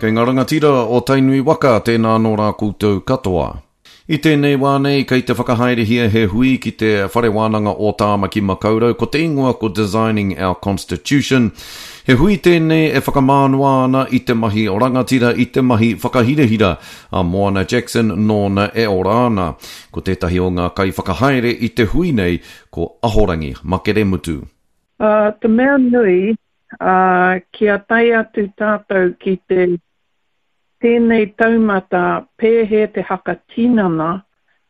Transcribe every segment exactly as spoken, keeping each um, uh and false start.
Kei ngā rangatira o Tainui waka, tēnā anō rā koutou katoa. I tēnei wā nei, kei te whakahaerehia he hui ki te Whare Wānanga o Tāmaki Makaurau, ko te ingoa ko Designing Our Constitution. He hui tēnei e whakamānoa ana i te mahi rangatira, i te mahi whakahirahira a Moana Jackson nōna e ora ana. Ko tētahi o ngā kaiwhakahaere i te hui nei, ko Ahorangi Makere Mutu. Uh, te mea nui, uh, kia tae atu tātou ki te tēnei taumata pēhea te hakatinana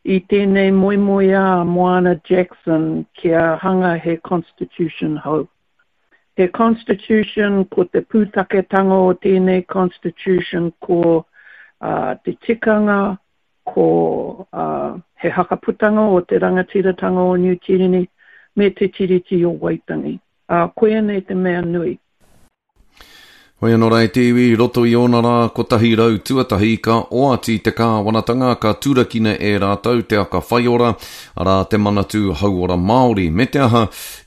i tēnei moemoeā Moana Jackson kia hanga he constitution hou. He constitution ko te pūtaketanga o tēnei constitution ko uh, te tikanga, ko uh, he hakaputanga o te rangatiratanga o Niu Tīreni me te Tiriti o Waitangi. Uh, koia nei te mea nui. Hoi anō rā e te iwi, i roto i ōna rā kotahi rau tuatahi ka oati te kāwanatanga ka turakina e rātou te aka whaiora, arā te Manatū Hauora Māori, me te aha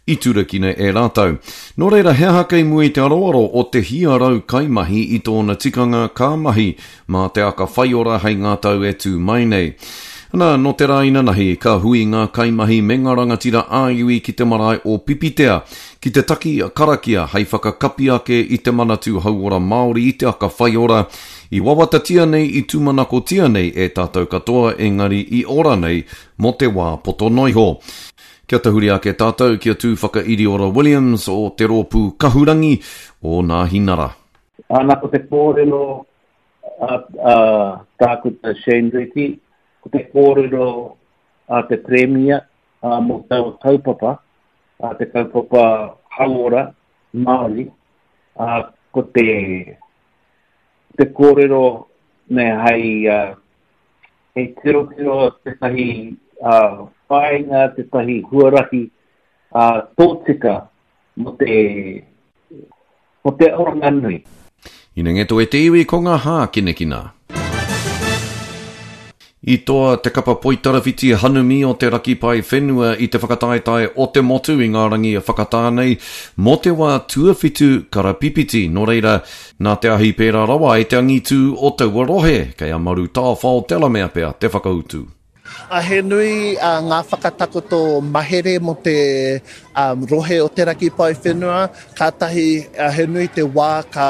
i turakina e rātou. Nō reira, he aha kei mua i te aroaro o te hia rau kaimahi i tōna tikanga ka mahi mā te aka whaiora hei ngā tau e tū mai nei. Nā, nō te rā inanahi, ka hui ngā kaimahi me ngā rangatira ā-iwi ki te marae o Pipitea, ki te taki karakia hei whakakapi ake i te Manatū Hauora Māori i te aka whaiora, i wawatatia nei, i tūmanakotia nei e tātou katoa, engari i ora nei mō te wā poto noa iho. Kia tahuri ake tātou ki a Tūwhakairiora Williams o te rōpū Kahurangi o Nāhinara. Ana ko te kōrero a, a Tākuta Shane Reti, ko te kōrero a te Premia a, mō taua kaupapa, a te kaupapa hauora Māori, a, ko te, te kōrero me hei, uh, hei tirotiro tētahi uh, whāinga, tētahi huarahi uh, tōtika mō te, mō te oranga nui. Ina ngeto e te iwi ko ngā hākinakina. I toa te kapa poitarawhiti hanumi o te raki pae whenua i te whakataetae o te motu i ngā rangi whakatā nei mō te wā tuawhitu karapipiti. Nō reira, nā te ahi pērā rawa ai te angitū o taua rohe, kei a Maru Tāwhao te alamea pea te whakautu. A he nui uh, ngā whakatakoto mahere mō te um, rohe o te raki pae whenua. Kātahi uh, he nui te wā ka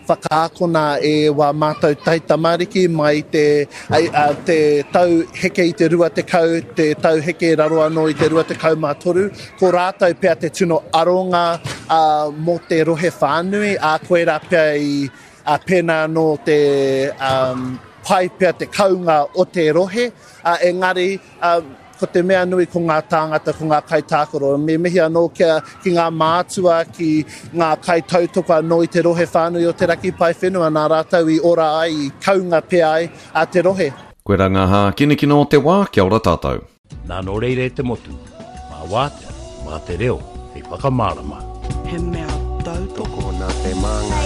whakaakona e wā mātou taitamariki mai te, uh, te tau heke i te rua tekau, te tau heke raro anō i te rua tekau mā toru. Ko rātou pea te tino aronga uh, mō te rohe whānui, a koirā pea i uh, pēnā anō te um, pai pea te kaunga o te rohe, uh, engari uh, ko te mea nui ko ngā tāngata, ko ngā kaitākaro. Me mihi anō kia, ki ngā mātua, ki ngā kaitautoko anō i te rohe whānui o te raki pae whenua, nā rātou i ora ai, i kaunga pea ai a te rohe. Koirā ngā hākinakina o te wā, kia ora tātou. Nā nō reira e te motu, mā wātea, mā te reo, hei whakamārama. He mea tautoko. Tokona te māngai.